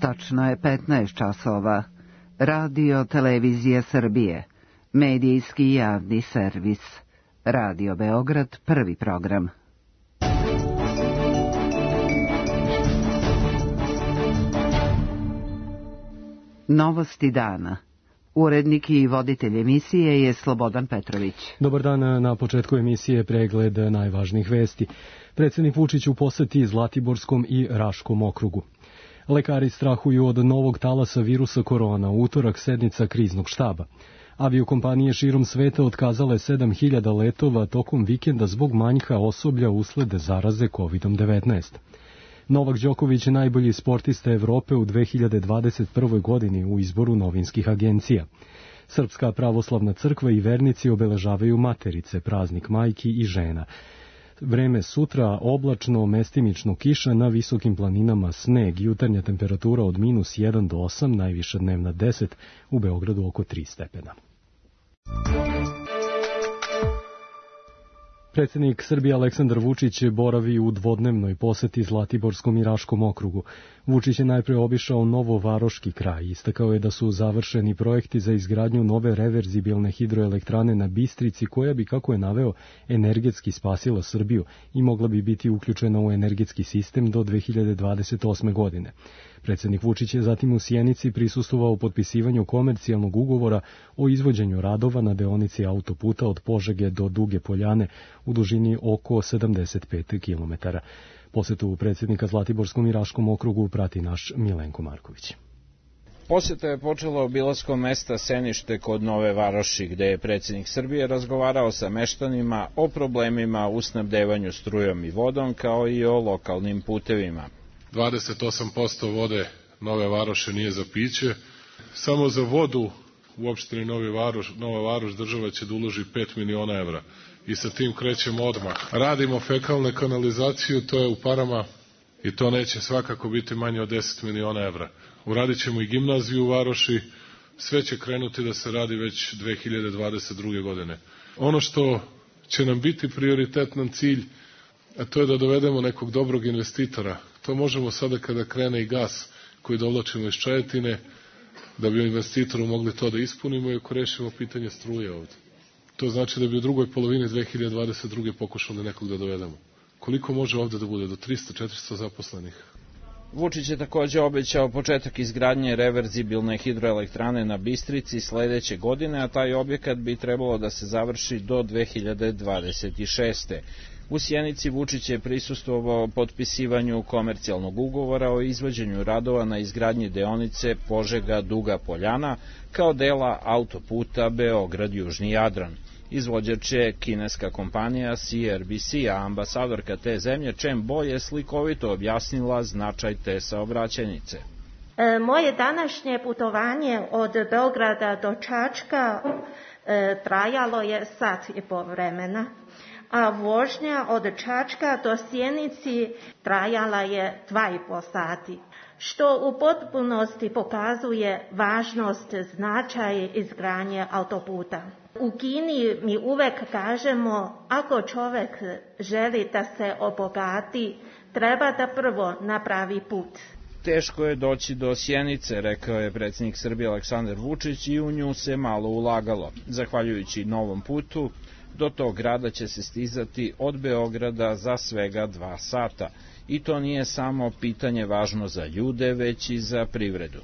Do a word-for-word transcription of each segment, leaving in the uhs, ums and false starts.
Tačno je petnaest časova. Radio Televizije Srbije. Medijski javni servis. Radio Beograd, prvi program. Novosti dana. Urednik i voditelj emisije je Slobodan Petrović. Dobar dan, na početku emisije pregled najvažnijih vesti. Predsjednik Vučić u poseti Zlatiborskom i Raškom okrugu. Lekari strahuju od novog talasa virusa korona, u utorak sednica kriznog štaba. Aviokompanije širom sveta otkazale sedam hiljada letova tokom vikenda zbog manjka osoblja usled zaraze kovid devetnaest. Novak Đoković je najbolji sportista Evrope u dve hiljade dvadeset prvoj. godini u izboru novinskih agencija. Srpska pravoslavna crkva i vernici obeležavaju Materice, praznik majki i žena. Vreme sutra oblačno, mestimično kiša, na visokim planinama sneg, jutarnja temperatura od minus jedan do osam, najviša dnevna deset, u Beogradu oko tri stepena. Predsjednik Srbije Aleksandar Vučić boravi u dvodnevnoj poseti Zlatiborskom i Raškom okrugu. Vučić je najpre obišao Novovaroški kraj. Istakao je da su završeni projekti za izgradnju nove reverzibilne hidroelektrane na Bistrici, koja bi, kako je naveo, energetski spasila Srbiju i mogla bi biti uključena u energetski sistem do dve hiljade dvadeset osme. godine. Predsjednik Vučić je zatim u Sjenici prisustvovao potpisivanju komercijalnog ugovora o izvođenju radova na deonici autoputa od Požege do Duge Poljane u dužini oko sedamdeset pet kilometara. Posetu predsjednika Zlatiborskom i Raškom okrugu prati naš Milenko Marković. Poseta je počela obilaskom mesta Senište kod Nove Varoši, gde je predsjednik Srbije razgovarao sa meštanima o problemima u snabdevanju strujom i vodom, kao i o lokalnim putevima. dvadeset osam posto vode Nove Varoše nije za piće. Samo za vodu u opštini Novi Varoš, Nova Varoš država će da uloži pet miliona evra. I sa tim krećemo odmah. Radimo fekalne kanalizaciju, to je u parama i to neće svakako biti manje od deset miliona evra. Uradit ćemo i gimnaziju u Varoši, sve će krenuti da se radi već dve hiljade dvadeset druge. godine. Ono što će nam biti prioritetan cilj, a to je da dovedemo nekog dobrog investitora. To možemo sada kada krene i gas koji dovlačimo iz Čajetine, da bi investitoru mogli to da ispunimo i ako rešimo pitanje struje ovde. To znači da bi u drugoj polovini dve hiljade dvadeset druge. pokušali nekog da dovedemo. Koliko može ovde da bude? Do trista do četiristo zaposlenih. Vučić je također obećao početak izgradnje reverzibilne hidroelektrane na Bistrici sledeće godine, a taj objekat bi trebalo da se završi do dve hiljade dvadeset šeste. U Sjenici Vučić je prisustvovao potpisivanju komercijalnog ugovora o izvođenju radova na izgradnji deonice Požega-Duga Poljana kao dela autoputa Beograd-Južni Jadran. Izvođač je kineska kompanija C R B C, a ambasadorka te zemlje Chen Bo je slikovito objasnila značaj te saobraćajnice. E, moje današnje putovanje od Beograda do Čačka e, trajalo je sat i pol vremena, a vožnja od Čačka do Sjenici trajala je dva i po sati, što u potpunosti pokazuje važnost značaja izgradnje autoputa. U Kini mi uvek kažemo, ako čovek želi da se obogati, treba da prvo napravi put. Teško je doći do Sjenice, rekao je predsjednik Srbije Aleksandar Vučić, i u nju se malo ulagalo. Zahvaljujući novom putu, do tog grada će se stizati od Beograda za svega dva sata. I to nije samo pitanje važno za ljude, već i za privredu.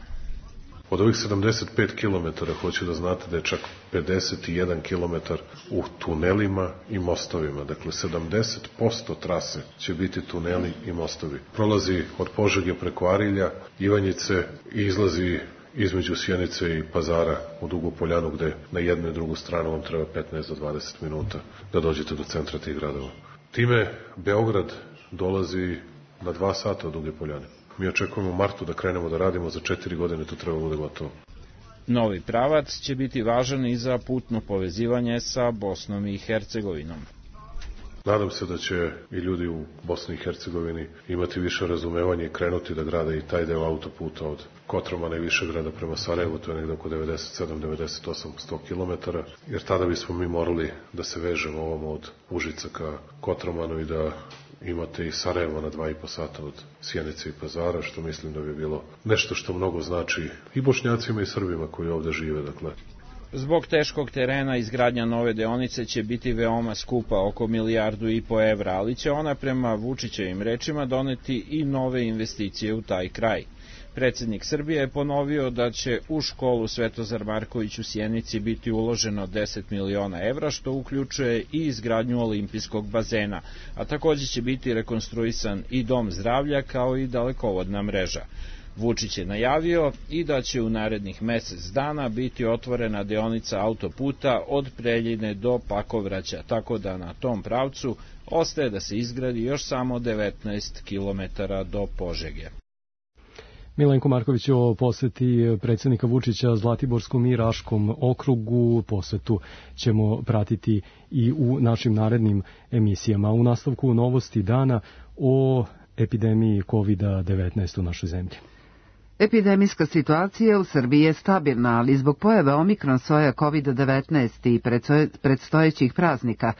Od ovih sedamdeset pet kilometara hoću da znate da je čak pedeset jedan kilometar u tunelima i mostovima. Dakle, sedamdeset posto trase će biti tuneli i mostovi. Prolazi od Požege preko Arilja, Ivanjice i izlazi između Sjenice i Pazara u Dugu Poljanu, gde na jednu i drugu stranu vam treba petnaest do dvadeset minuta da dođete do centra tih gradova. Time Beograd dolazi na dva sata od Duge Poljane. Mi očekujemo u martu da krenemo da radimo, za četiri godine to treba bude gotovo. Novi pravac će biti važan i za putno povezivanje sa Bosnom i Hercegovinom. Nadam se da će i ljudi u Bosni i Hercegovini imati više razumevanja i krenuti da grade i taj deo autoputa od Kotromana i Višegrada prema Sarajevu, to je negde oko devedeset sedam do devedeset osam sto kilometara, jer tada bismo mi morali da se vežemo ovom od Užica ka Kotromanu i da imate i Sarajevo na dva i po sata od Sjenice i Pazara, što mislim da bi bilo nešto što mnogo znači i Bošnjacima i Srbima koji ovde žive, dakle. Zbog teškog terena izgradnja nove deonice će biti veoma skupa, oko milijardu i po evra, ali će ona prema Vučićevim rečima doneti i nove investicije u taj kraj. Predsednik Srbije je ponovio da će u školu Svetozar Marković u Sjenici biti uloženo deset miliona evra, što uključuje i izgradnju olimpijskog bazena, a takođe će biti rekonstruisan i dom zdravlja kao i dalekovodna mreža. Vučić je najavio i da će u narednih mesec dana biti otvorena deonica autoputa od Preljine do Pakovraća, tako da na tom pravcu ostaje da se izgradi još samo devetnaest kilometara do Požege. Milenko Marković o poseti predsednika Vučića Zlatiborskom i Raškom okrugu. Posetu ćemo pratiti i u našim narednim emisijama. U nastavku novosti dana o epidemiji kovid devetnaest u našoj zemlji. Epidemijska situacija u Srbiji je stabilna, ali zbog pojave omikron soja kovid devetnaest i predstojećih praznika,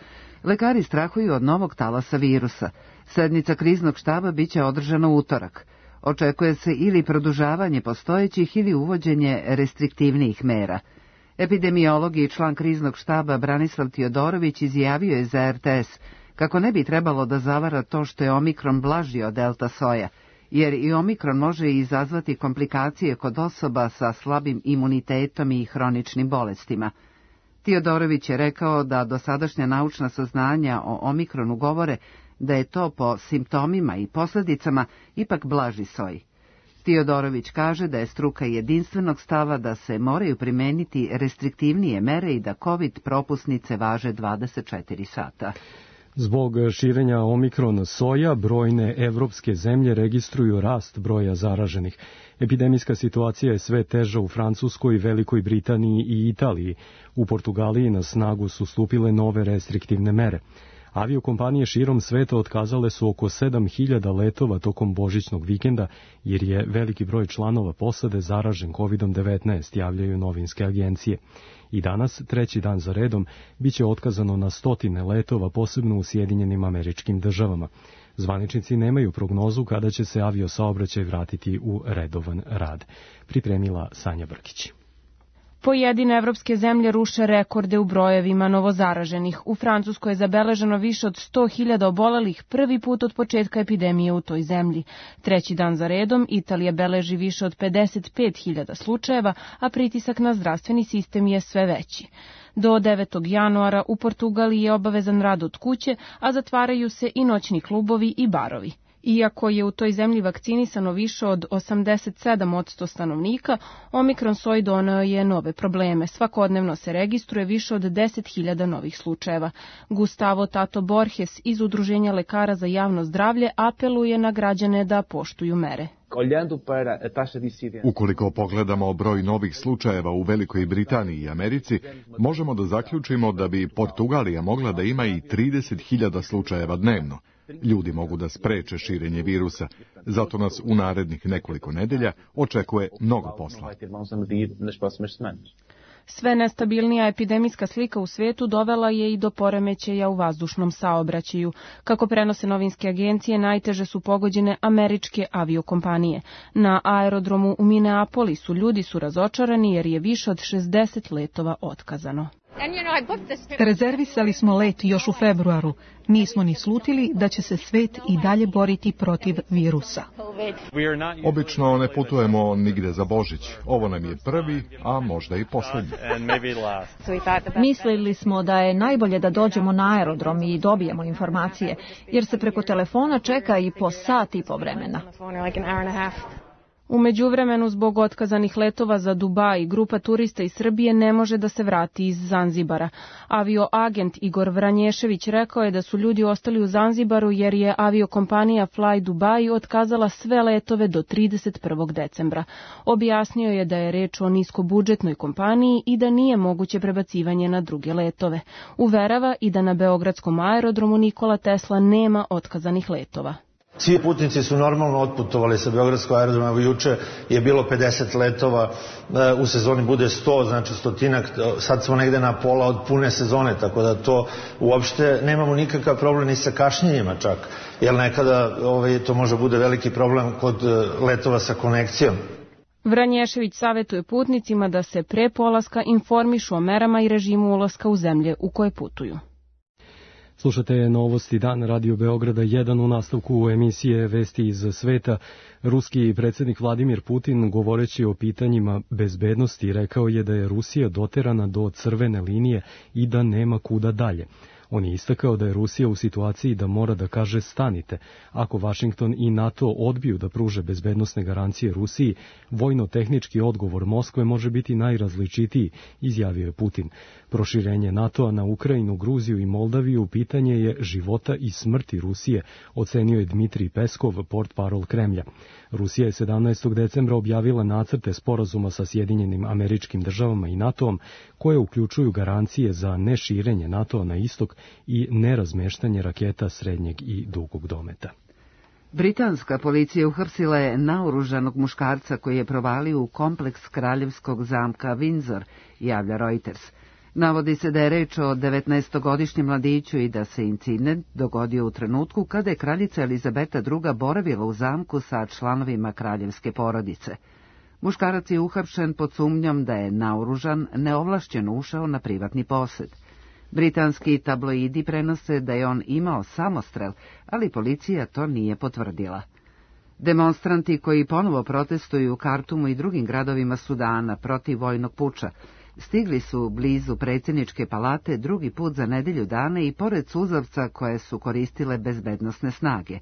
lekari strahuju od novog talasa virusa. Sednica kriznog štaba biće održana u utorak. Očekuje se ili produžavanje postojećih ili uvođenje restriktivnijih mera. Epidemiolog i član kriznog štaba Branislav Tiodorović izjavio je za er te es kako ne bi trebalo da zavara to što je omikron blaži od delta soja, jer i omikron može izazvati komplikacije kod osoba sa slabim imunitetom i hroničnim bolestima. Tiodorović je rekao da dosadašnja naučna saznanja o omikronu govore da je to po simptomima i posledicama ipak blaži soj. Tiodorović kaže da je struka jedinstvenog stava da se moraju primeniti restriktivnije mere i da COVID propusnice važe dvadeset četiri sata. Zbog širenja omikron soja, brojne evropske zemlje registruju rast broja zaraženih. Epidemijska situacija je sve teža u Francuskoj, Velikoj Britaniji i Italiji. U Portugaliji na snagu su stupile nove restriktivne mere. Aviokompanije širom sveta otkazale su oko sedam hiljada letova tokom božićnog vikenda, jer je veliki broj članova posade zaražen kovid devetnaest, javljaju novinske agencije. I danas, treći dan za redom, biće otkazano na stotine letova, posebno u Sjedinjenim Američkim Državama. Zvaničnici nemaju prognozu kada će se aviosaobraćaj vratiti u redovan rad. Pripremila Sanja Brkić. Pojedine evropske zemlje ruše rekorde u brojevima novozaraženih. U Francuskoj je zabeleženo više od sto hiljada obolelih prvi put od početka epidemije u toj zemlji. Treći dan za redom Italija beleži više od pedeset pet hiljada slučajeva, a pritisak na zdravstveni sistem je sve veći. Do devetog januara u Portugaliji je obavezan rad od kuće, a zatvaraju se i noćni klubovi i barovi. Iako je u toj zemlji vakcinisano više od osamdeset sedam posto stanovnika, omikron soj doneo je nove probleme. Svakodnevno se registruje više od deset hiljada novih slučajeva. Gustavo Tato Borges iz Udruženja lekara za javno zdravlje apeluje na građane da poštuju mere. Ukoliko pogledamo broj novih slučajeva u Velikoj Britaniji i Americi, možemo da zaključimo da bi Portugalija mogla da ima i trideset hiljada slučajeva dnevno. Ljudi mogu da spreče širenje virusa, zato nas u narednih nekoliko nedelja očekuje mnogo posla. Sve nestabilnija epidemijska slika u svetu dovela je i do poremećaja u vazdušnom saobraćaju. Kako prenose novinske agencije, najteže su pogođene američke aviokompanije. Na aerodromu u Minneapolisu ljudi su razočarani jer je više od šezdeset letova otkazano. Rezervisali smo let još u februaru. Nismo ni slutili da će se svet i dalje boriti protiv virusa. Obično ne putujemo nigde za Božić. Ovo nam je prvi, a možda i poslednji. Mislili smo da je najbolje da dođemo na aerodrom i dobijemo informacije, jer se preko telefona čeka i po sat i po vremena. U međuvremenu, zbog otkazanih letova za Dubaj, grupa turista iz Srbije ne može da se vrati iz Zanzibara. Avioagent Igor Vranješević rekao je da su ljudi ostali u Zanzibaru jer je aviokompanija Fly Dubai otkazala sve letove do trideset prvog decembra. Objasnio je da je reč o niskobudžetnoj kompaniji i da nije moguće prebacivanje na druge letove. Uverava i da na beogradskom aerodromu Nikola Tesla nema otkazanih letova. Svi putnici su normalno otputovali sa beogradskog aerodroma, evo juče je bilo pedeset letova, u sezoni bude sto, znači stotinak, sad smo negde na pola od pune sezone, tako da to uopšte nemamo nikakav problem ni sa kašnjenjima čak, jer nekada ovaj, to može bude veliki problem kod letova sa konekcijom. Vranješević savjetuje putnicima da se pre polaska informišu o merama i režimu ulaska u zemlje u koje putuju. Slušate Novosti dan Radio Beograda jedan u nastavku emisije Vesti iz sveta. Ruski predsjednik Vladimir Putin, govoreći o pitanjima bezbednosti, rekao je da je Rusija doterana do crvene linije i da nema kuda dalje. On je istakao da je Rusija u situaciji da mora da kaže stanite. Ako Vašington i NATO odbiju da pruže bezbednosne garancije Rusiji, vojno-tehnički odgovor Moskve može biti najrazličitiji, izjavio je Putin. Proširenje NATO-a na Ukrajinu, Gruziju i Moldaviju pitanje je života i smrti Rusije, ocenio je Dmitrij Peskov, portparol Kremlja. Rusija je sedamnaestog decembra objavila nacrte sporazuma sa Sjedinjenim Američkim Državama i NATO-om, koje uključuju garancije za neširenje NATO-a na istok i nerazmeštanje raketa srednjeg i dugog dometa. Britanska policija uhapsila je naoružanog muškarca koji je provalio u kompleks kraljevskog zamka Windsor, javlja Reuters. Navodi se da je reč o devetnaestogodišnjem mladiću i da se incident dogodio u trenutku kada je kraljica Elizabeta druga boravila u zamku sa članovima kraljevske porodice. Muškarac je uhapšen pod sumnjom da je naoružan, neovlašćeno ušao na privatni posed. Britanski tabloidi prenose da je on imao samostrel, ali policija to nije potvrdila. Demonstranti koji ponovo protestuju u Kartumu i drugim gradovima Sudana protiv vojnog puča stigli su blizu predsjedničke palate drugi put za nedelju dana i pored suzavca koje su koristile bezbednosne snage.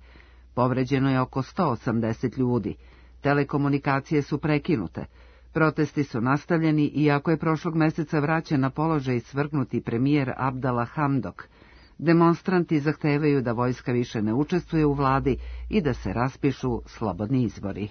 Povređeno je oko sto osamdeset ljudi. Telekomunikacije su prekinute. Protesti su nastavljeni iako je prošlog meseca vraćen na položaj svrgnuti premijer Abdallah Hamdok. Demonstranti zahtevaju da vojska više ne učestvuje u vladi i da se raspišu slobodni izbori.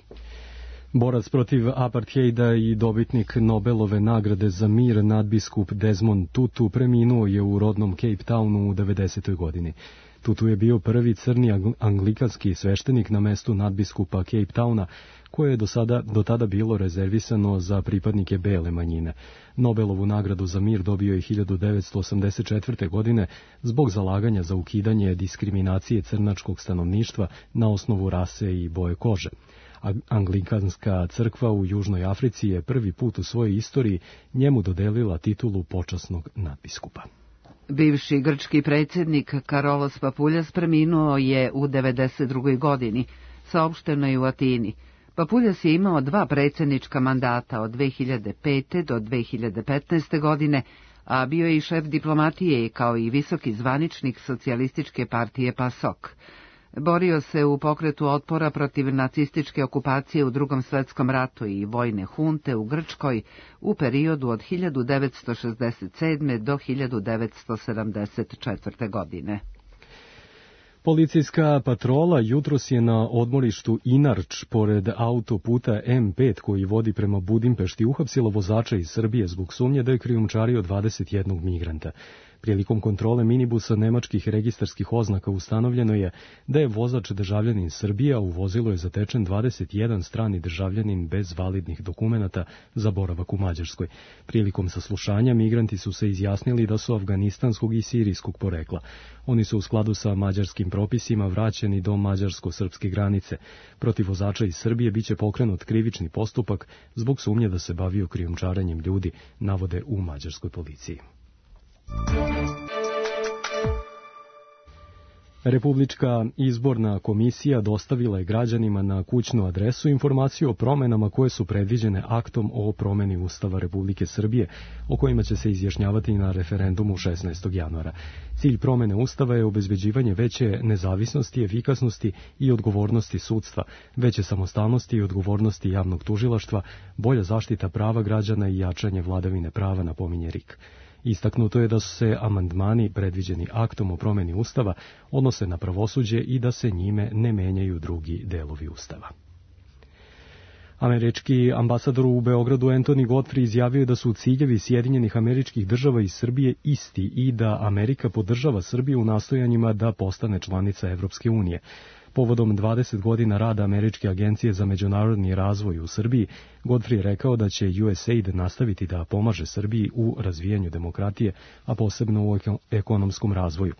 Borac protiv apartheida i dobitnik Nobelove nagrade za mir nadbiskup Desmond Tutu preminuo je u rodnom Cape Townu u devedesetoj godini. Tutu je bio prvi crni anglikanski sveštenik na mestu nadbiskupa Cape Towna, koje je do, sada, do tada bilo rezervisano za pripadnike bele manjine. Nobelovu nagradu za mir dobio je hiljadu devetsto osamdeset četvrte. godine zbog zalaganja za ukidanje diskriminacije crnačkog stanovništva na osnovu rase i boje kože. Anglikanska crkva u Južnoj Africi je prvi put u svojoj istoriji njemu dodelila titulu počasnog nadbiskupa. Bivši grčki predsjednik Karolos Papuljas preminuo je u devedeset drugoj. godini, saopšteno je u Atini. Papuljas je imao dva predsjednička mandata od dve hiljade pete. do dve hiljade petnaeste. godine, a bio je i šef diplomatije kao i visoki zvaničnik socijalističke partije PASOK. Borio se u pokretu otpora protiv nacističke okupacije u Drugom svjetskom ratu i vojne hunte u Grčkoj u periodu od hiljadu devetsto šezdeset sedme. do hiljadu devetsto sedamdeset četvrte. godine. Policijska patrola jutros je na odmorištu Inarč pored autoputa M pet koji vodi prema Budimpešti uhapsila vozača iz Srbije zbog sumnje da je krijumčario dvadeset jednog migranta. Prilikom kontrole minibusa nemačkih registarskih oznaka ustanovljeno je da je vozač državljanin Srbije, a u vozilu je zatečen dvadeset jedan strani državljanin bez validnih dokumenata za boravak u Mađarskoj. Prilikom saslušanja migranti su se izjasnili da su afganistanskog i sirijskog porekla. Oni su u skladu sa mađarskim propisima vraćeni do mađarsko-srpske granice. Protiv vozača iz Srbije biće pokrenut krivični postupak zbog sumnje da se bavio krijumčarenjem ljudi, navode u mađarskoj policiji. Republička izborna komisija dostavila je građanima na kućnu adresu informaciju o promenama koje su predviđene aktom o promeni Ustava Republike Srbije, o kojima će se izjašnjavati na referendumu šesnaestog januara. Cilj promene Ustava je obezbeđivanje veće nezavisnosti, efikasnosti i odgovornosti sudstva, veće samostalnosti i odgovornosti javnog tužilaštva, bolja zaštita prava građana i jačanje vladavine prava, napominje R I K. Istaknuto je da su se amandmani predviđeni aktom o promeni Ustava odnose na pravosuđe i da se njime ne menjaju drugi delovi Ustava. Američki ambasador u Beogradu Anthony Godfrey izjavio da su ciljevi Sjedinjenih Američkih Država i Srbije isti i da Amerika podržava Srbiju u nastojanjima da postane članica Evropske unije. Povodom dvadeset godina rada Američke agencije za međunarodni razvoj u Srbiji, Godfrey je rekao da će U S A I D nastaviti da pomaže Srbiji u razvijanju demokratije, a posebno u ekonomskom razvoju.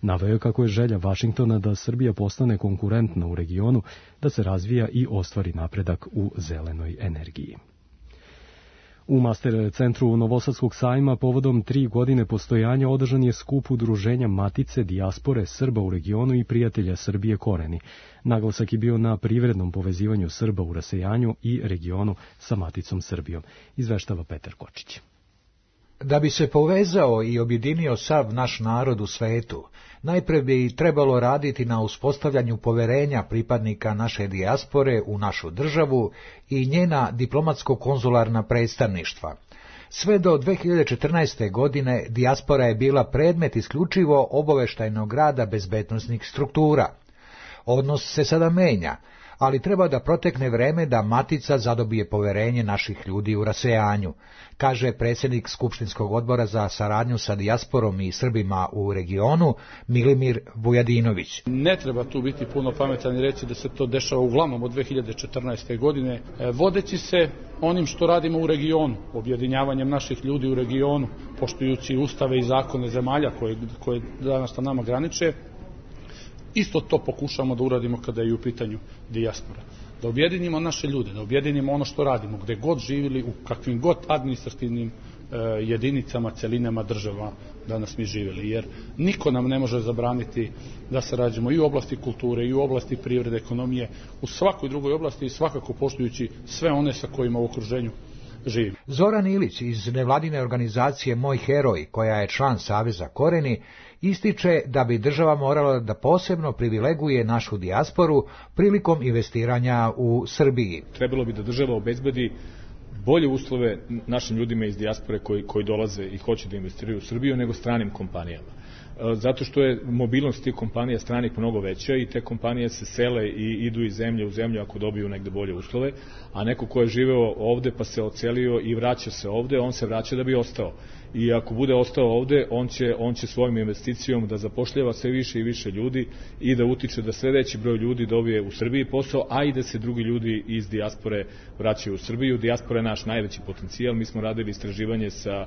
Naveo je kako je želja Vašingtona da Srbija postane konkurentna u regionu, da se razvija i ostvari napredak u zelenoj energiji. U Master centru Novosadskog sajma povodom tri godine postojanja održan je skup udruženja Matice, dijaspore, Srba u regionu i prijatelja Srbije Koreni. Naglasak je bio na privrednom povezivanju Srba u rasejanju i regionu sa Maticom Srbijom, izveštava Petar Kočić. Da bi se povezao i objedinio sav naš narod u svetu, najpre bi trebalo raditi na uspostavljanju poverenja pripadnika naše dijaspore u našu državu i njena diplomatsko-konzularna predstavništva. Sve do dve hiljade četrnaeste. godine dijaspora je bila predmet isključivo obaveštajnog rada bezbednosnih struktura. Odnos se sada menja, ali treba da protekne vreme da Matica zadobije poverenje naših ljudi u rasejanju, kaže predsjednik Skupštinskog odbora za saradnju sa dijasporom i Srbima u regionu, Milimir Vujadinović. Ne treba tu biti puno pametan i reći da se to dešava uglavnom od dve hiljade četrnaeste. godine, vodeći se onim što radimo u regionu, objedinjavanjem naših ljudi u regionu, poštujući ustave i zakone zemalja koje, koje danas na nama graniče. Isto to pokušamo da uradimo kada je u pitanju dijaspora. Da objedinimo naše ljude, da objedinimo ono što radimo, gde god živjeli, u kakvim god administrativnim e, jedinicama, celinama država danas mi živjeli. Jer niko nam ne može zabraniti da sarađujemo i u oblasti kulture, i u oblasti privrede, ekonomije, u svakoj drugoj oblasti i svakako poštujući sve one sa kojima u okruženju živimo. Zoran Ilić iz nevladine organizacije Moj heroj, koja je član Saveza Koreni, ističe da bi država morala da posebno privileguje našu dijasporu prilikom investiranja u Srbiji. Trebalo bi da država obezbedi bolje uslove našim ljudima iz dijaspore koji, koji dolaze i hoće da investiraju u Srbiju nego stranim kompanijama. Zato što je mobilnost tih kompanija stranih mnogo veća i te kompanije se sele i idu iz zemlje u zemlju ako dobiju negde bolje uslove, a neko ko je živeo ovde pa se ocelio i vraća se ovde, on se vraća da bi ostao. I ako bude ostao ovde, on će, on će svojim investicijom da zapošljava sve više i više ljudi i da utiče da sve veći broj ljudi dobije u Srbiji posao, a i da se drugi ljudi iz dijaspore vraćaju u Srbiju. Dijaspora je naš najveći potencijal. Mi smo radili istraživanje sa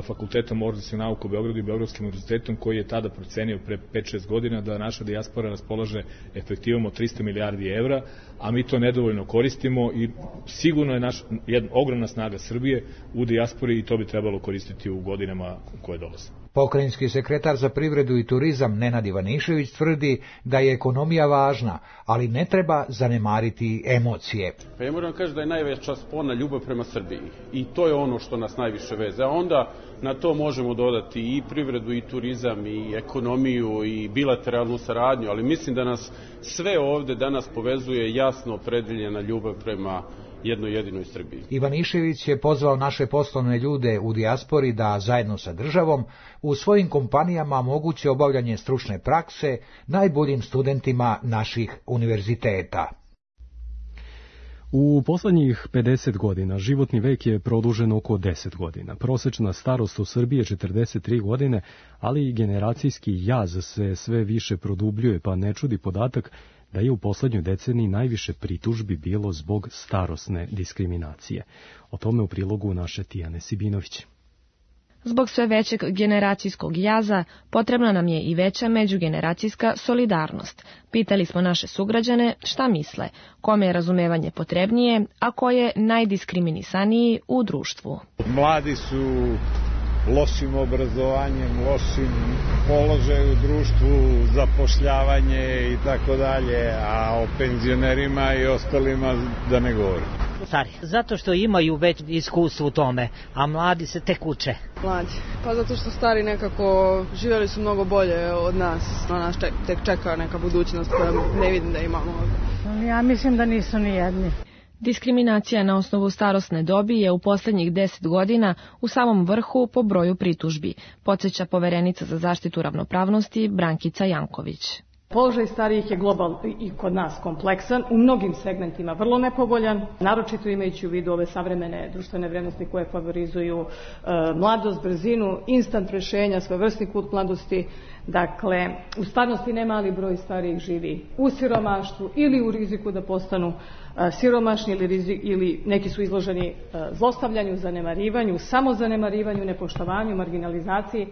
Fakultetom organskih nauka u Beogradu i Beogradskim univerzitetom koji je tada procenio pre pet šest godina da naša dijaspora raspolaže efektivom od trista milijardi evra, a mi to nedovoljno koristimo i sigurno je naš, jedna ogromna snaga Srbije u dijaspori i to bi trebalo koristiti u godinama koje dolaze. Pokrajinski sekretar za privredu i turizam Nenad Ivanišević tvrdi da je ekonomija važna, ali ne treba zanemariti emocije. Pa ja moram kažem da je najveća spona ljubav prema Srbiji i to je ono što nas najviše veze. A onda na to možemo dodati i privredu i turizam i ekonomiju i bilateralnu saradnju, ali mislim da nas sve ovde danas povezuje jasno opredeljena ljubav prema jednoj jedinoj Srbiji. Ivanišević je pozvao naše poslovne ljude u dijaspori da zajedno sa državom u svojim kompanijama omoguće obavljanje stručne prakse najboljim studentima naših univerziteta. U poslednjih pedeset godina životni vek je produžen oko deset godina. Prosečna starost u Srbiji je četrdeset tri godine, ali i generacijski jaz se sve više produbljuje, pa ne čudi podatak da je u poslednjoj deceniji najviše pritužbi bilo zbog starosne diskriminacije. O tome u prilogu naše Tijane Sibinović. Zbog sve većeg generacijskog jaza potrebna nam je i veća međugeneracijska solidarnost. Pitali smo naše sugrađane šta misle, kome je razumevanje potrebnije, a ko je najdiskriminisaniji u društvu. Mladi su lošim obrazovanjem, lošim položaju u društvu, zapošljavanje i tako dalje, a o penzionerima i ostalima da ne govorim. Stari, zato što imaju već iskustvo u tome, a mladi se tek uče. Mlađi, pa zato što stari nekako živjeli su mnogo bolje od nas, na nas tek čeka neka budućnost koja ne vidim da imamo ovdje. Ja mislim da nisu ni jedni. Diskriminacija na osnovu starosne dobi je u posljednjih deset godina u samom vrhu po broju pritužbi, podsjeća poverenica za zaštitu ravnopravnosti Brankica Janković. Položaj starijih je globalno i kod nas kompleksan, u mnogim segmentima vrlo nepovoljan, naročito imajući u vidu ove savremene društvene vrijednosti koje favorizuju e, mladost, brzinu, instant rješenja, svojevrsni kult mladosti. Dakle, u stvarnosti nemali broj starijih živi u siromaštvu ili u riziku da postanu e, siromašni ili, rizik, ili neki su izloženi e, zlostavljanju, zanemarivanju, samozanemarivanju, nepoštovanju, marginalizaciji.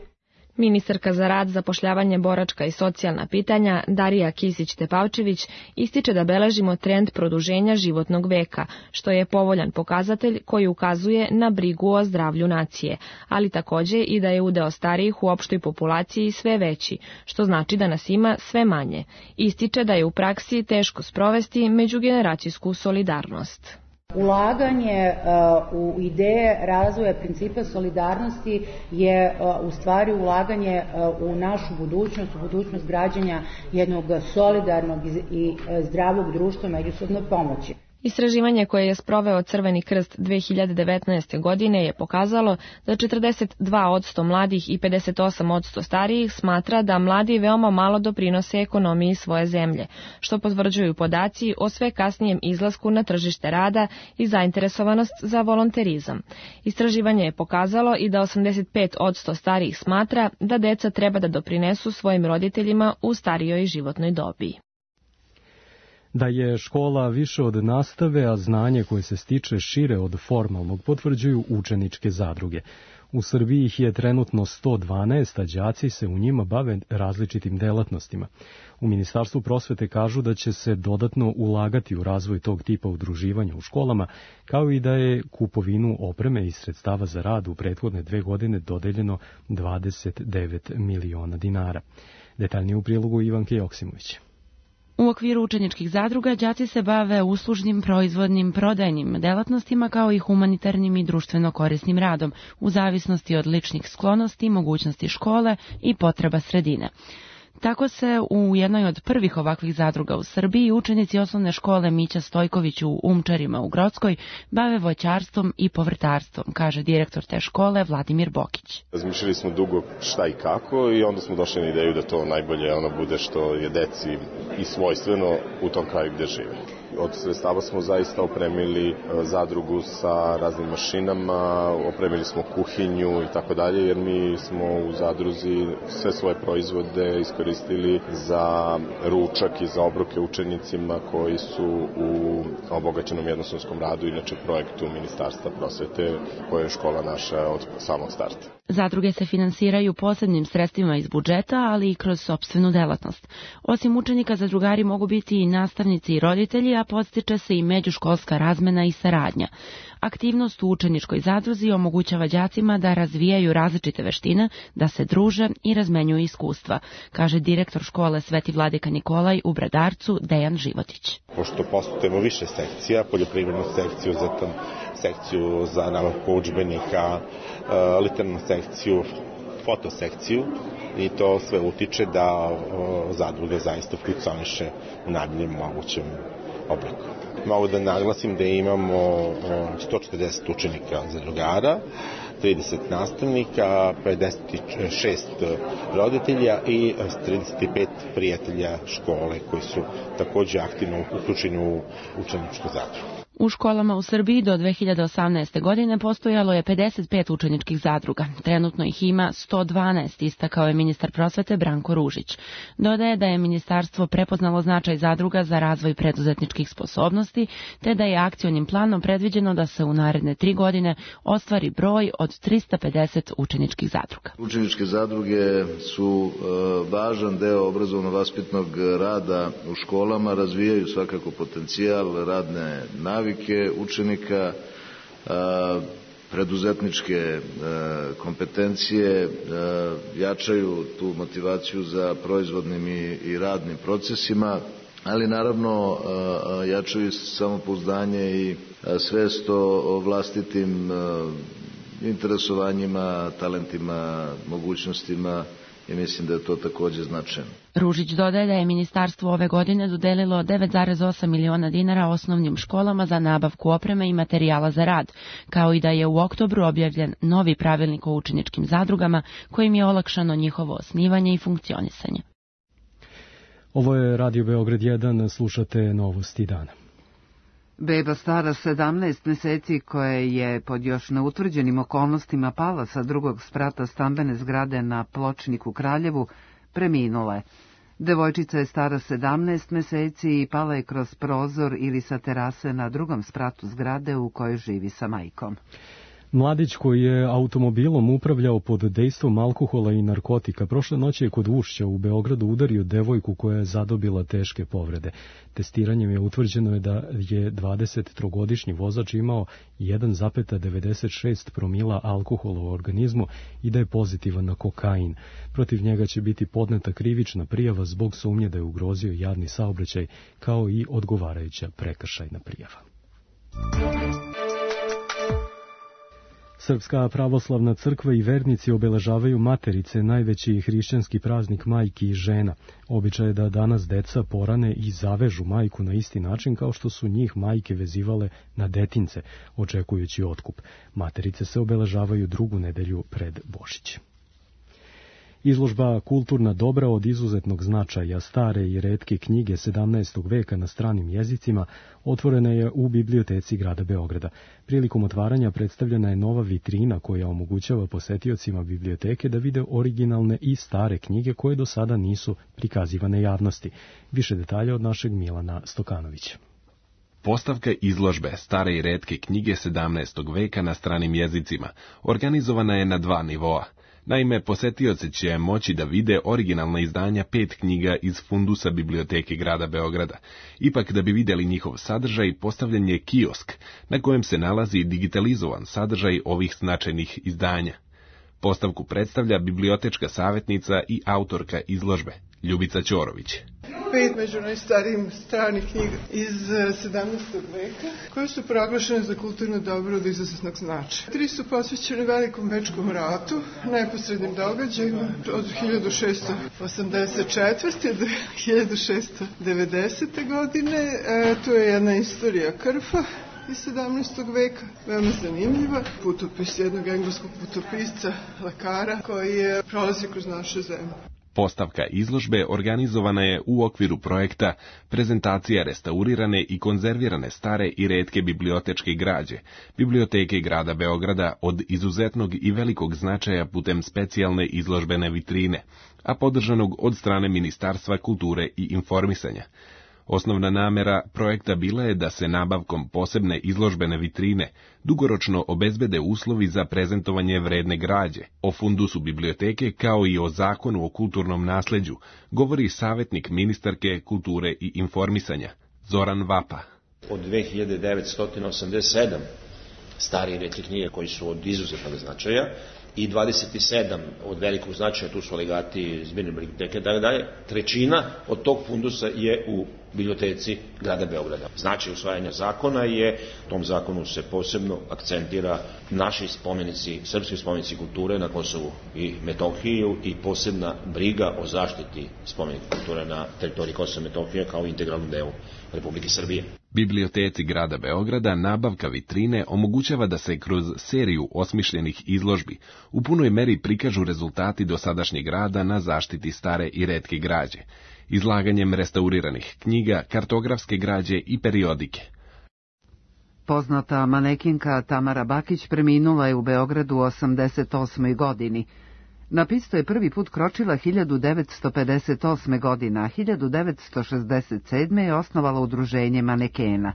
Ministarka za rad, zapošljavanje, boračka i socijalna pitanja Darija Kisić-Tepavčević ističe da beležimo trend produženja životnog veka, što je povoljan pokazatelj koji ukazuje na brigu o zdravlju nacije, ali također i da je udeo starijih u opštoj populaciji sve veći, što znači da nas ima sve manje. Ističe da je u praksi teško sprovesti međugeneracijsku solidarnost. Ulaganje uh, u ideje razvoja principa solidarnosti je uh, u stvari ulaganje uh, u našu budućnost, u budućnost građanja jednog solidarnog i uh, zdravog društva međusobne pomoći. Istraživanje koje je sproveo Crveni krst dve hiljade devetnaeste. godine je pokazalo da četrdeset dva posto mladih i pedeset osam posto starijih smatra da mladi veoma malo doprinose ekonomiji svoje zemlje, što potvrđuju podaci o sve kasnijem izlasku na tržište rada i zainteresovanost za volonterizam. Istraživanje je pokazalo i da osamdeset pet posto starijih smatra da deca treba da doprinesu svojim roditeljima u starijoj životnoj dobi. Da je škola više od nastave, a znanje koje se stiče šire od formalnog potvrđuju učeničke zadruge. U Srbiji ih je trenutno sto dvanaest, a đaci se u njima bave različitim delatnostima. U Ministarstvu prosvete kažu da će se dodatno ulagati u razvoj tog tipa udruživanja u školama, kao i da je kupovinu opreme i sredstava za rad u prethodne dve godine dodeljeno dvadeset devet miliona dinara. Detaljnije u prilogu Ivanke Joksimović. U okviru učeničkih zadruga đaci se bave uslužnim, proizvodnim, prodajnim delatnostima kao i humanitarnim i društveno korisnim radom, u zavisnosti od ličnih sklonosti, mogućnosti škole i potreba sredine. Tako se u jednoj od prvih ovakvih zadruga u Srbiji učenici osnovne škole Mića Stojković u Umčarima u Grockoj bave voćarstvom i povrtarstvom, kaže direktor te škole Vladimir Bokić. Razmišljali smo dugo šta i kako i onda smo došli na ideju da to najbolje ono bude što je deci i svojstveno u tom kraju gde žive. Od sredstava smo zaista opremili zadrugu sa raznim mašinama, opremili smo kuhinju i tako dalje, jer mi smo u zadruzi sve svoje proizvode iskoristili za ručak i za obroke učenicima koji su u obogaćenom jednosmenskom radu, inače projektu Ministarstva prosvete koje je škola naša od samog starta. Zadruge se finansiraju posebnim sredstvima iz budžeta, ali i kroz sopstvenu delatnost. Osim učenika, zadrugari mogu biti i nastavnici i roditelji, a podstiče se i međuškolska razmena i saradnja. Aktivnost u učeničkoj zadruzi omogućava đacima da razvijaju različite veštine, da se druže i razmenjuju iskustva, kaže direktor škole Sveti Vladika Nikolaj u Bradarcu Dejan Životić. Pošto postupujemo više sekcija, poljoprivrednu sekciju, zatim sekciju za nabavku udžbenika, literarnu sekciju, fotosekciju, i to sve utiče da zadruga zaista funkcioniše u najboljem mogućem obliku. Mogu da naglasim da imamo sto četrdeset učenika zadrugara, trideset nastavnika, pedeset šest roditelja i trideset pet prijatelja škole koji su takođe aktivno uključeni u učeničku zadrugu. U školama u Srbiji do dve hiljade osamnaeste. godine postojalo je pedeset pet učeničkih zadruga. Trenutno ih ima sto dvanaest, istakao je ministar prosvete Branko Ružić. Dodaje da je ministarstvo prepoznalo značaj zadruga za razvoj preduzetničkih sposobnosti, te da je akcionim planom predviđeno da se u naredne tri godine ostvari broj od trista pedeset učeničkih zadruga. Učeničke zadruge su e, važan deo obrazovno-vaspitnog rada u školama, razvijaju svakako potencijal radne navike učenika, preduzetničke kompetencije, jačaju tu motivaciju za proizvodnim i radnim procesima, ali naravno jačaju samopouzdanje i svest o vlastitim interesovanjima, talentima, mogućnostima i mislim da je to takođe značajno. Ružić dodaje da je ministarstvo ove godine dodelilo devet zarez osam miliona dinara osnovnim školama za nabavku opreme i materijala za rad, kao i da je u oktobru objavljen novi pravilnik o učeničkim zadrugama kojim je olakšano njihovo osnivanje i funkcionisanje. Ovo je Radio Beograd jedan, slušate Novosti dana. Beba stara sedamnaest meseci koja je pod još neutvrđenim okolnostima pala sa drugog sprata stambene zgrade na Pločnik u Kraljevu preminula je. Devojčica je stara sedamnaest meseci i pala je kroz prozor ili sa terase na drugom spratu zgrade u kojoj živi sa majkom. Mladić koji je automobilom upravljao pod dejstvom alkohola i narkotika prošle noći je kod Ušća u Beogradu udario devojku koja je zadobila teške povrede. Testiranjem je utvrđeno je da je dvadesettrogodišnji vozač imao jedan zarez devedeset šest promila alkohola u organizmu i da je pozitivan na kokain. Protiv njega će biti podneta krivična prijava zbog sumnje da je ugrozio javni saobraćaj, kao i odgovarajuća prekršajna prijava. Srpska pravoslavna crkva i vernici obeležavaju Materice, najveći hrišćanski praznik majki i žena. Običaj je da danas deca porane i zavežu majku na isti način kao što su njih majke vezivale na detince, očekujući otkup. Materice se obeležavaju drugu nedelju pred Božić. Izložba Kulturna dobra od izuzetnog značaja, stare i retke knjige sedamnaestog veka na stranim jezicima otvorena je u biblioteci grada Beograda. Prilikom otvaranja predstavljena je nova vitrina koja omogućava posetiocima biblioteke da vide originalne i stare knjige koje do sada nisu prikazivane javnosti. Više detalja od našeg Milana Stokanovića. Postavka izložbe Stare i retke knjige sedamnaestog veka na stranim jezicima organizovana je na dva nivoa. Naime, posetioci će moći da vide originalna izdanja pet knjiga iz fundusa biblioteke grada Beograda. Ipak, da bi vidjeli njihov sadržaj, postavljen je kiosk, na kojem se nalazi digitalizovan sadržaj ovih značajnih izdanja. Postavku predstavlja bibliotečka savjetnica i autorka izložbe, Ljubica Ćorović. Pet među najstarijim stranih knjiga iz sedamnaestog veka, koje su proglašene za kulturno dobro od izuzetnog značaja. Tri su posvećene Velikom bečkom ratu, neposrednim događajima od hiljadu šeststo osamdeset četvrte do hiljadu šeststo devedesete godine. E, tu je jedna istorija krfa iz sedamnaestog veka, veoma zanimljiva. Putopis jednog engleskog putopisca, lekara, koji je prolazi kroz naše zemlje. Postavka izložbe organizovana je u okviru projekta Prezentacija restaurirane i konzervirane stare i retke bibliotečke građe, Biblioteke grada Beograda od izuzetnog i velikog značaja putem specijalne izložbene vitrine, a podržanog od strane Ministarstva kulture i informisanja. Osnovna namera projekta bila je da se nabavkom posebne izložbene vitrine dugoročno obezbede uslovi za prezentovanje vredne građe. O fundusu biblioteke kao i o zakonu o kulturnom nasleđu govori savjetnik ministarke kulture i informisanja Zoran Vapa. Od dve hiljade devetsto osamdeset sedam stare i retke knjige koji su od izuzetnog značaja i dvadeset sedam od velikog značaja, tu su legati zbirne biblioteke, da dalje, trećina od tog fundusa je u biblioteci grada Beograda. Značaj usvajanja zakona je, u tom zakonu se posebno akcentira naši spomenici, srpski spomenici kulture na Kosovu i Metohiju i posebna briga o zaštiti spomenika kulture na teritoriji Kosova i Metohije kao integralnom delu Republike Srbije. Biblioteci grada Beograda nabavka vitrine omogućava da se kroz seriju osmišljenih izložbi u punoj meri prikažu rezultati dosadašnjeg rada na zaštiti stare i retke građe, izlaganjem restauriranih knjiga, kartografske građe i periodike. Poznata manekinka Tamara Bakić preminula je u Beogradu u osamdeset osmoj godini. Na pistu je prvi put kročila hiljadu devetsto pedeset osme. godine, a hiljadu devetsto šezdeset sedme. je osnovala udruženje manekena.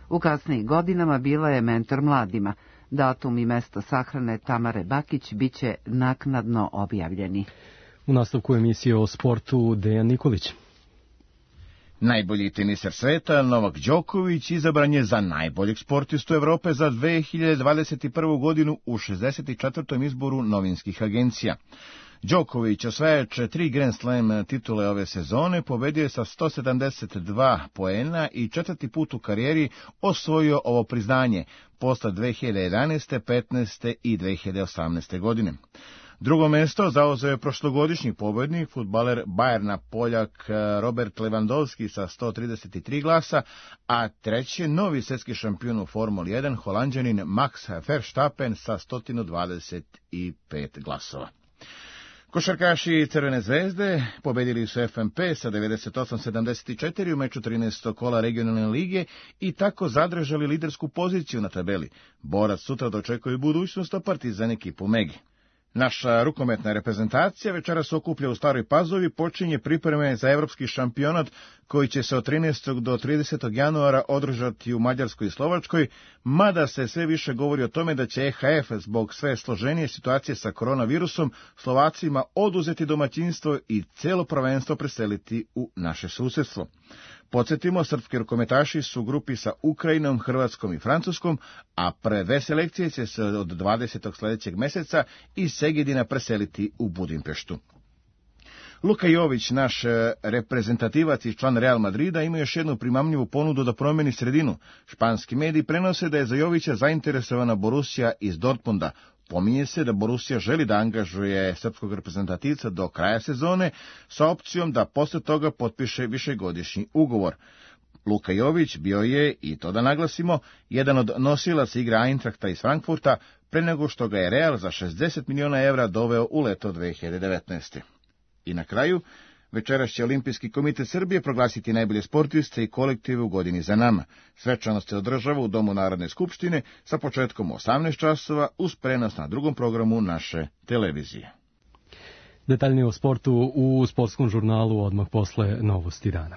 U kasnijim godinama bila je mentor mladima. Datum i mesto sahrane Tamare Bakić biće naknadno objavljeni. U nastavku emisije o sportu Dejan Nikolić. Najbolji teniser sveta, Novak Đoković, izabran je za najboljeg sportistu Evrope za dve hiljade dvadeset prvu. godinu u šezdeset četvrtom izboru novinskih agencija. Đoković, osvajač tri Grand Slam titule ove sezone, pobedio je sa sto sedamdeset dva poena i četvrti put u karijeri osvojio ovo priznanje, posle dve hiljade jedanaeste, petnaeste i dve hiljade osamnaeste. godine. Drugo mesto zauzeo je prošlogodišnji pobednik, fudbaler Bajerna Poljak Robert Lewandowski sa sto trideset tri glasa, a treći novi svetski šampion u Formuli jedan, Holanđanin Max Verstappen sa sto dvadeset pet glasova. Košarkaši Crvene zvezde pobedili su F M P sa devedeset osam sedamdeset četiri u meču trinaestog kola regionalne lige i tako zadržali lidersku poziciju na tabeli. Borac sutra dočekuje budućnost, a Partizan ekipu Megi. Naša rukometna reprezentacija večeras se okuplja u Staroj Pazovi, počinje pripreme za evropski šampionat koji će se od trinaestog do tridesetog januara održati u Mađarskoj i Slovačkoj, mada se sve više govori o tome da će E H F zbog sve složenije situacije sa koronavirusom Slovacima oduzeti domaćinstvo i celo prvenstvo preseliti u naše susjedstvo. Podsjetimo, srpski rukometaši su u grupi sa Ukrajinom, Hrvatskom i Francuskom, a prve dve selekcije će se od dvadesetog sljedećeg meseca iz Segedina preseliti u Budimpeštu. Luka Jović, naš reprezentativac i član Real Madrida, ima još jednu primamljivu ponudu da promeni sredinu. Španski mediji prenose da je za Jovića zainteresovana Borussia iz Dortmunda. Pominje se da Borussia želi da angažuje srpskog reprezentativca do kraja sezone sa opcijom da posle toga potpiše višegodišnji ugovor. Luka Jović bio je, i to da naglasimo, jedan od nosilaca igre Eintrachta iz Frankfurta pre nego što ga je Real za šezdeset miliona evra doveo u leto dve hiljade devetnaeste. I na kraju, večeras će Olimpijski komitet Srbije proglasiti najbolje sportiste i kolektive u godini za nama. Svečanost se održava u Domu Narodne skupštine sa početkom u osamnaest časova uz prenos na drugom programu naše televizije. Detaljnije o sportu u sportskom žurnalu odmah posle novosti dana.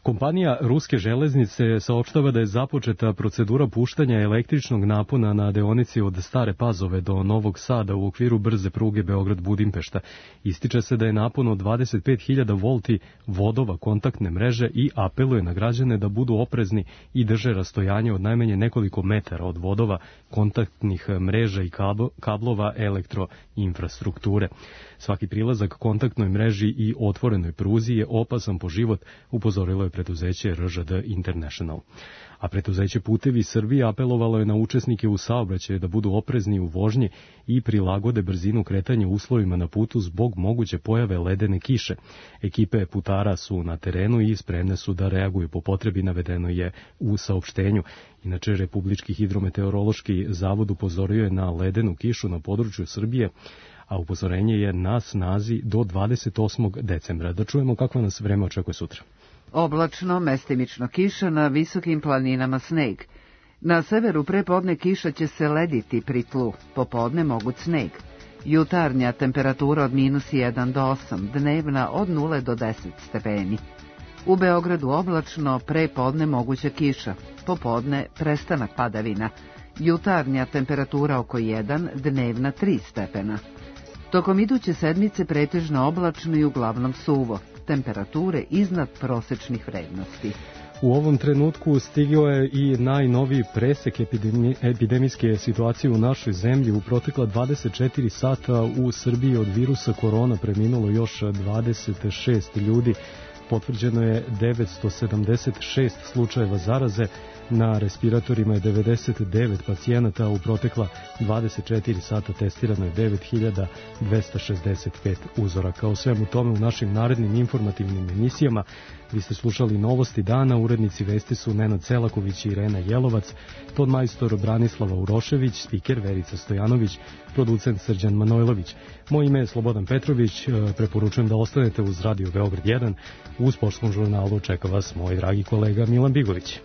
Kompanija Ruske železnice saopštava da je započeta procedura puštanja električnog napona na deonici od Stare Pazove do Novog Sada u okviru brze pruge Beograd-Budimpešta. Ističe se da je napon od dvadeset pet hiljada volti vodova kontaktne mreže i apeluje na građane da budu oprezni i drže rastojanje od najmanje nekoliko metara od vodova, kontaktnih mreža i kablova elektroinfrastrukture. Svaki prilazak kontaktnoj mreži i otvorenoj pruzi je opasan po život, upozorilo je preduzeće R Ž D International. A preduzeće Putevi Srbije apelovalo je na učesnike u saobraćaju da budu oprezni u vožnji i prilagode brzinu kretanja uslovima na putu zbog moguće pojave ledene kiše. Ekipe putara su na terenu i spremne su da reaguju po potrebi, navedeno je u saopštenju. Inače, Republički hidrometeorološki zavod upozorio je na ledenu kišu na području Srbije, a upozorenje je na snazi do dvadeset osmog decembra. Da čujemo kako nas vreme očekuje sutra. Oblačno, mestimično kiša, na visokim planinama sneg. Na severu prepodne kiša će se lediti pri tlu, popodne moguć sneg. Jutarnja temperatura od minus jedan do osam, dnevna od nula do deset stepeni. U Beogradu oblačno, prepodne moguća kiša, popodne prestanak padavina. Jutarnja temperatura oko jedan, dnevna tri stepena. Tokom iduće sedmice pretežno oblačno i uglavnom suvo. Temperature iznad prosečnih vrednosti. U ovom trenutku stigao je i najnoviji presek epidemi, epidemijske situacije u našoj zemlji. U protekla dvadeset četiri sata u Srbiji od virusa korona preminulo još dvadeset šest ljudi. Potvrđeno je devetsto sedamdeset šest slučajeva zaraze, na respiratorima je devedeset devet pacijenata, u protekla dvadeset četiri sata testirano je devet hiljada dvesta šezdeset pet uzoraka. O svemu tome u našim narednim informativnim emisijama. Vi ste slušali novosti dana, urednici vesti su Nenad Selaković i Irena Jelovac, ton majstor Branislava Urošević, spiker Verica Stojanović, producent Srđan Manojlović. Moje ime je Slobodan Petrović, preporučujem da ostanete uz Radio Beograd jedan. U sportskom žurnalu čeka vas moj dragi kolega Milan Bigović.